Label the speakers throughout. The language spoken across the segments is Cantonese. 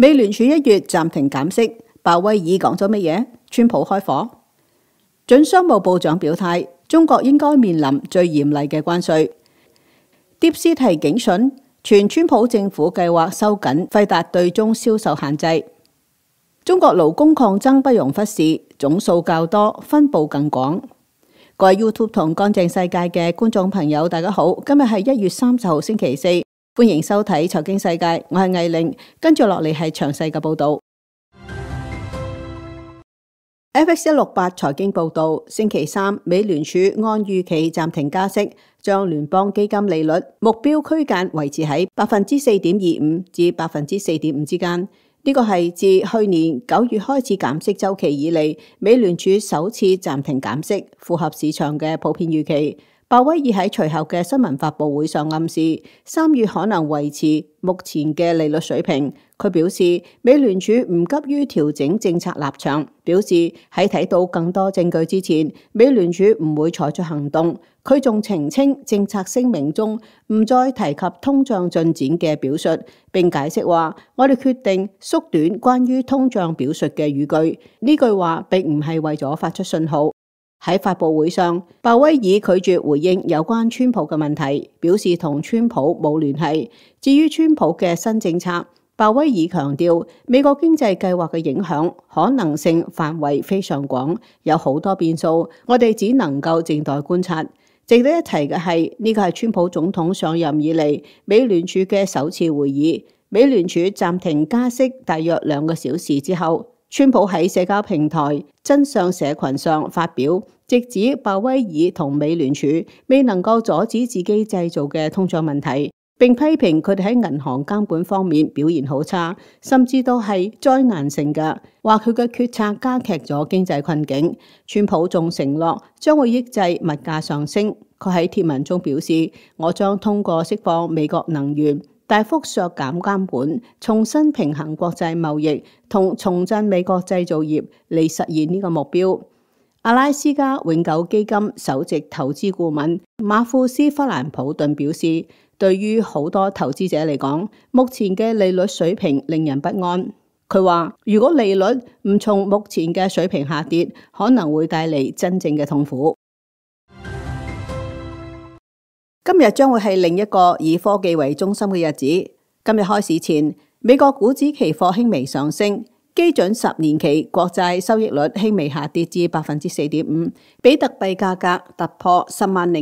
Speaker 1: 美聯儲1月暫停減息，鮑威爾講咗乜嘢？川普開火。準商務部長表態，中國應該面臨最嚴厲嘅關稅。DeepSeek警訊，傳川普政府計劃收緊輝達對中銷售限制。中國勞工抗爭不容忽視，總數較多，分佈更廣。各位 YouTube 同乾淨世界嘅觀眾朋友，大家好，今日係1月30號星期四，歡迎收睇財經世界，我係魏玲，跟住落嚟係詳細嘅報道。FX168 財經報道，星期三，美聯儲按預期暫停加息，將聯邦基金利率目標區間維持喺4.25%至4.5%之間。呢個係自去年9月開始減息週期以嚟，美聯儲首次暫停減息，符合市場嘅普遍預期。鮑威爾喺隨後嘅新聞發佈會上暗示，3月可能維持目前嘅利率水平。佢表示，美聯儲唔急於調整政策立場，表示喺睇到更多證據之前，美聯儲唔會採取行動。佢仲澄清政策聲明中唔再提及通脹進展嘅表述，並解釋話：我哋決定縮短關於通脹表述嘅語句。呢句話並唔係為咗發出信號。喺發佈會上，鮑威爾拒絕回應有關川普嘅問題，表示同川普冇聯繫。至於川普嘅新政策，鮑威爾強調美國經濟計劃嘅影響可能性範圍非常廣，有好多變數，我哋只能夠靜待觀察。值得一提嘅係，呢個係川普總統上任以嚟美聯儲嘅首次會議。美聯儲暫停加息大約2個小時之後，川普喺社交平台真相社群上發表，直指鮑威爾同美聯儲未能夠阻止自己製造嘅通脹問題，並批評佢哋喺銀行監管方面表現好差，甚至都係災難性嘅，話佢嘅決策加劇咗經濟困境。川普仲承諾將會抑制物價上升。佢喺貼文中表示：我將通過釋放美國能源，大幅削減監管，重新平衡國際貿易同重振美國製造業嚟實現呢個目標。阿拉斯加永久基金首席投資顧問馬庫斯·弗蘭普頓表示，對於好多投資者嚟講，目前嘅利率水平令人不安。佢話：如果利率唔從目前嘅水平下跌，可能會帶嚟真正嘅痛苦。今日將會係另一個以科技為中心嘅日子。今日開市前，美國股指期貨輕微上升，基準10年期國債收益率輕微下跌至 4.5%， 比特幣價格突破10.5萬美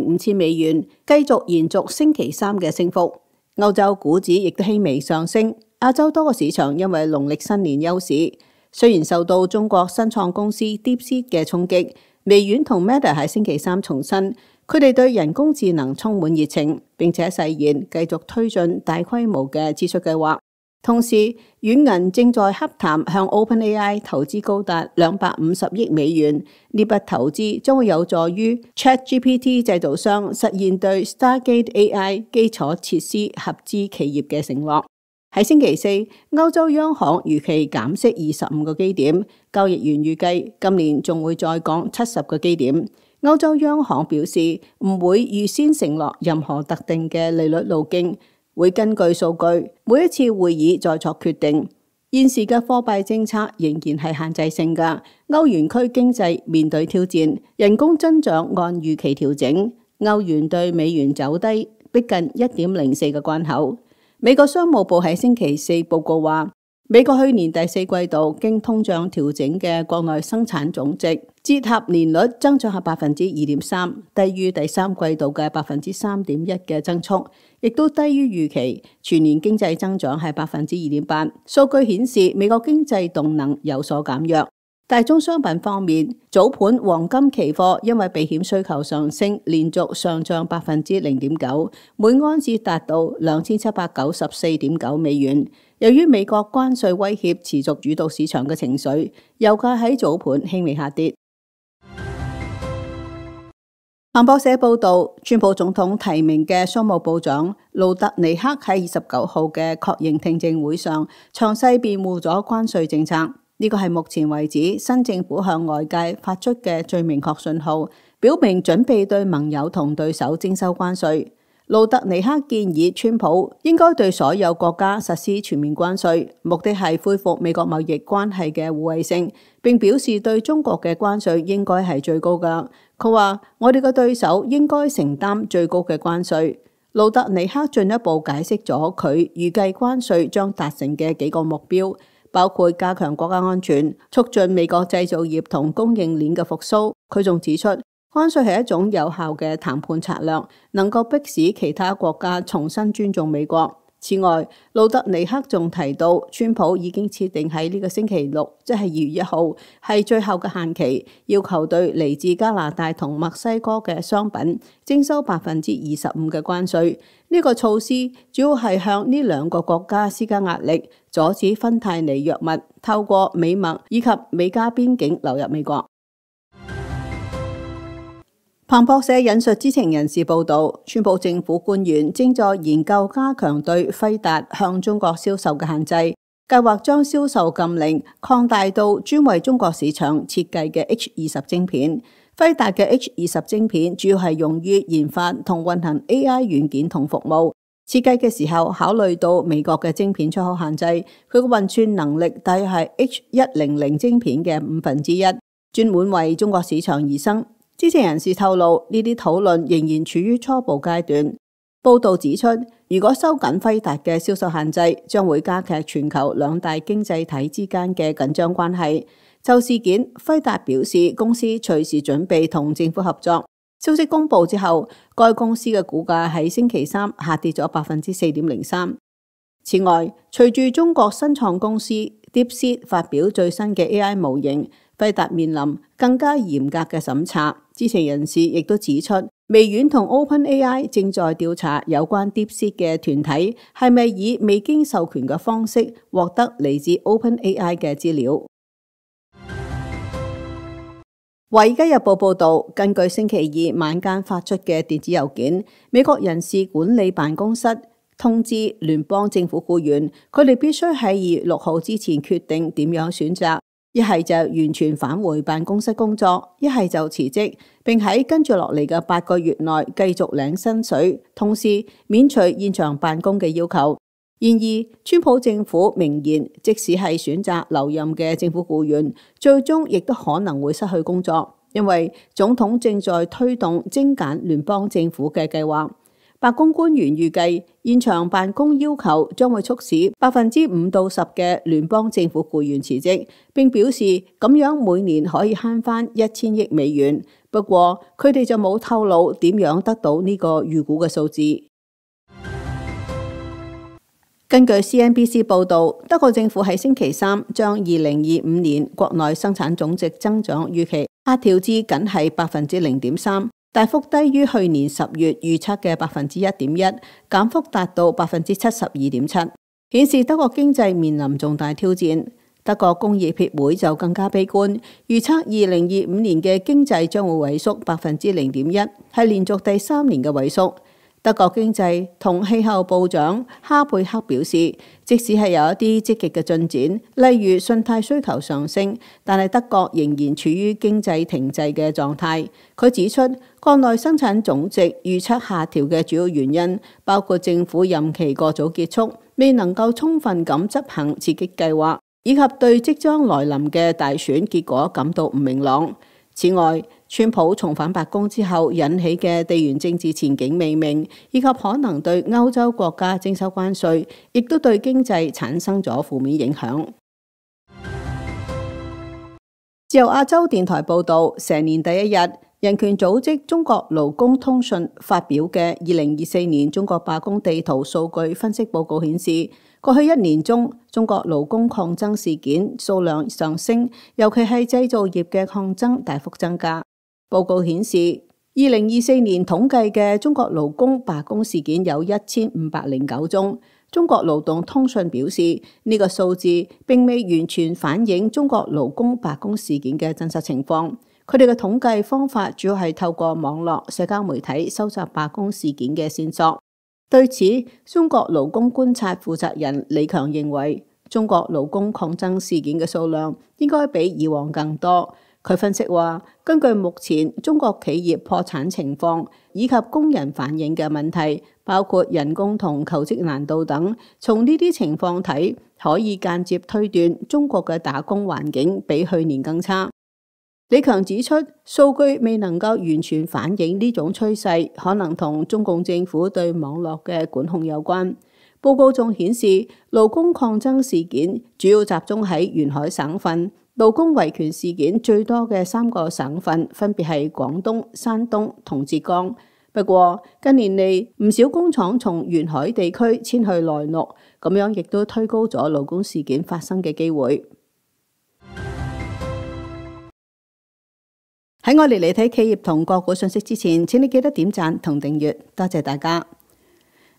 Speaker 1: 元，繼續延續星期三嘅升幅。歐洲股指亦都輕微上升，亞洲多個市場因為農曆新年休市。雖然受到中國新創公司 DeepSeek 嘅衝擊，微軟同 Meta 喺星期三重申，佢哋對人工智能充滿熱情，並且誓言繼續推進大規模嘅支出計劃。同時，軟銀正在洽談向 OpenAI 投資高達250億美元，呢筆投資將會有助於 ChatGPT 製造商實現對 Stargate AI 基礎設施合資企業嘅承諾。喺星期四，歐洲央行預期減息25個基點，交易員預計今年仲會再降70個基點。歐洲央行表示唔會預先承諾任何特定嘅利率路徑，會根據數據，每一次會議再作決定。現時嘅貨幣政策仍然係限制性嘅，歐元區經濟面對挑戰，人工增長按預期調整，歐元對美元走低，逼近 1.04 嘅關口。美國商務部喺星期四報告話，美國去年第四季度經通脹調整嘅國內生產總值折合年率增長係 2.3%， 低於第三季度嘅 3.1% 嘅增速，亦都低於預期。全年經濟增長係 2.8%。數據顯示美國經濟動能有所減弱。大宗商品方面，早盤黃金期貨因為避險需求上升，連續上漲 0.9%， 每盎司達到 2,794.9 美元。由於美國關稅威脅持續主導市場嘅情緒，油價喺早盤輕微下跌。彭博社報道，川普總統提名嘅商務部長盧特尼克喺29號嘅確認聽證會上，詳細辯護咗關稅政策。呢個係目前為止新政府向外界發出嘅最明確信號，表明準備對盟友同對手徵收關稅。盧特尼克建議川普應該對所有國家實施全面關稅，目的係恢復美國貿易關係嘅互惠性，並表示對中國嘅關稅應該係最高㗎。佢話：我哋嘅對手應該承擔最高嘅關稅。盧特尼克進一步解釋咗佢預計關稅將達成嘅幾個目標，包括加強國家安全、促進美國製造業同供應鏈嘅復甦。佢仲指出，關稅係一種有效嘅談判策略，能夠迫使其他國家重新尊重美國。此外，盧特尼克仲提到，川普已經設定喺呢個星期六，即係2月1號，係最後嘅限期，要求對嚟自加拿大同墨西哥嘅商品徵收25%嘅關稅。呢個措施主要係向呢兩個國家施加壓力，阻止芬太尼藥物透過美墨以及美加邊境流入美國。彭博社引述知情人士報道，川普政府官員正在研究加強對輝達向中國銷售嘅限制，計劃將銷售禁令擴大到專為中國市場設計嘅 H20 晶片。輝達嘅 H20 晶片主要係用於研發同運行 AI 軟件同服務。設計嘅時候考慮到美國嘅晶片出口限制，佢嘅運算能力大約係 H100 晶片嘅1/5，專門為中國市場而生。知情人士透露，呢啲討論仍然處於初步階段。報道指出，如果收緊輝達嘅銷售限制，將會加劇全球兩大經濟體之間嘅緊張關係。就事件，輝達表示公司隨時準備同政府合作。消息公佈之後，該公司嘅股價喺星期三下跌咗4.03%。此外，隨住中國新創公司 DeepSeek 發表最新嘅 AI 模型，輝達面臨更加嚴格嘅審查。知情人士亦都指出，微軟同 OpenAI 正在調查有關 DeepSeek 嘅團體係咪以未經授權嘅方式獲得嚟自 OpenAI 嘅資料。《華爾街日報》報導，根據星期二晚間發出嘅電子郵件，美國人事管理辦公室通知聯邦政府僱員，佢哋必須喺2月6號之前決定點樣選擇。一係就完全返回辦公室工作，一係就辭職，並喺跟住落嚟嘅8個月內繼續領薪水，同時免除現場辦公嘅要求。然而，川普政府明言，即使係選擇留任嘅政府僱員，最終亦都可能會失去工作，因為總統正在推動精簡聯邦政府嘅計劃。白宮官員預計現場辦公要求將會促使5%到10%嘅聯邦政府僱員辭職，並表示咁樣每年可以慳返1000億美元。不過佢哋就冇透露點樣得到呢個預估嘅數字。根據 CNBC 報導，德國政府喺星期三將2025年國內生產總值增長預期下調至僅係0.3%。大幅低於去年10月預測嘅1.1%，減幅達到72.7%，顯示德國經濟面臨重大挑戰。德國工業協會就更加悲觀，預測2025年嘅經濟將會萎縮0.1%，係連續第3年嘅萎縮。德國經濟同氣候部長哈貝克表示，即使係有一啲積極嘅進展，例如信貸需求上升，但係德國仍然處於經濟停滯嘅狀態。佢指出，國內生產總值預測下調嘅主要原因包括政府任期過早結束，未能夠充分咁執行刺激計劃，以及對即將來臨嘅大選結果感到唔明朗。此外，川普重返白宮之後引起嘅地緣政治前景未明，以及可能對歐洲國家徵收關稅，亦都對經濟產生咗負面影響。自由亞洲電台報導，蛇年第一日，人權組織中國勞工通訊發表嘅2024年中國罷工地圖數據分析報告顯示，過去1年中，中國勞工抗爭事件數量上升，尤其係製造業嘅抗爭大幅增加。報告顯示，2024年統計嘅中國勞工罷工事件有1509宗。中國勞動通訊表示，呢個數字並未完全反映中國勞工罷工事件嘅真實情況。佢哋嘅統計方法主要係透過網絡社交媒體收集罷工事件嘅線索。對此，中國勞工觀察負責人李強認為，中國勞工抗爭事件嘅數量應該比以往更多。佢分析話，根據目前中國企業破產情況以及工人反映嘅問題，包括人工同求職難度等，從呢啲情況睇，可以間接推斷中國嘅打工環境比去年更差。李強指出，數據未能夠完全反映呢種趨勢，可能同中共政府對網絡嘅管控有關。報告仲顯示，勞工抗爭事件主要集中喺沿海省份，勞工維權事件最多嘅3個省份分別係廣東、山東同浙江。不過近年嚟，唔少工廠從沿海地區遷去內陸，咁樣亦都推高咗勞工事件發生嘅機會。喺我哋嚟睇企業同個股信息之前，請你記得點讚同訂閱，多謝大家。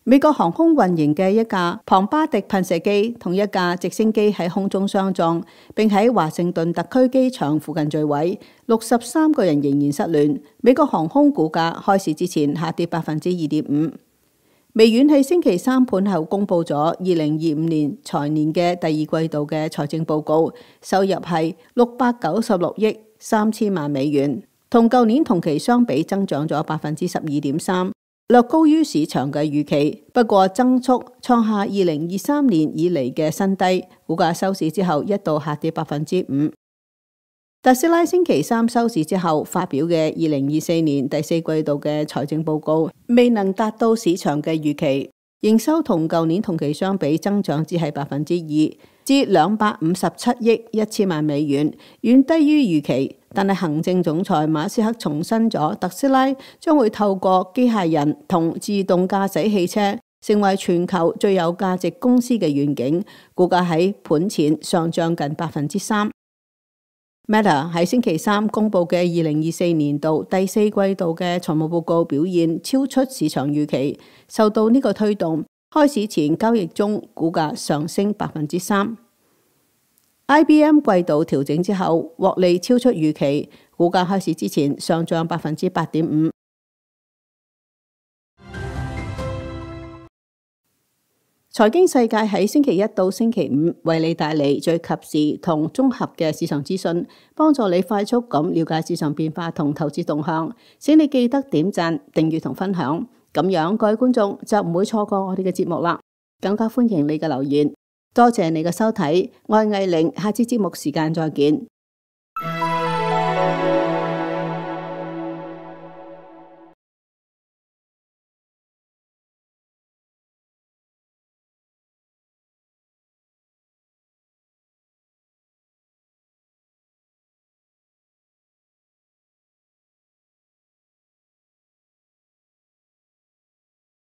Speaker 1: 美國航空運營嘅一架龐巴迪噴射機同一架直升機喺空中相撞，並喺華盛頓特區機場附近墜毀，63個人仍然失聯。美國航空股價開市之前下跌2.5%。微軟喺星期三盤後公佈咗2025年財年嘅第二季度嘅財政報告，收入係696億3000萬美元，同舊年同期相比增長咗12.3%，略高於市場嘅預期。不過增速創下2023年以嚟嘅新低，股價收市之後一度下跌5%。特斯拉星期三收市之後發表嘅2024年第四季度嘅財政報告，未能達到市場嘅預期，營收同舊年同期相比增長只係2%，至257億1000萬美元，遠低於預期。但係行政總裁馬斯克重申咗特斯拉將會透過機械人同自動駕駛汽車成為全球最有價值公司嘅願景，股價喺盤前上漲近3%。Meta 喺星期三公佈嘅2024年度第四季度嘅財務報告表現超出市場預期，受到呢個推動，開市前交易中股價上升3%。IBM 季度調整之後獲利超出預期，股價開市之前上漲8.5%。財經世界喺星期一到星期五為你帶嚟最及時同綜合嘅市場資訊，幫助你快速咁了解市場變化同投資動向。請你記得點讚、訂閱同分享，咁樣各位觀眾就唔會錯過我哋嘅節目啦。更加歡迎你嘅留言。多謝你嘅收睇，我係藝玲，下次節目時間再見。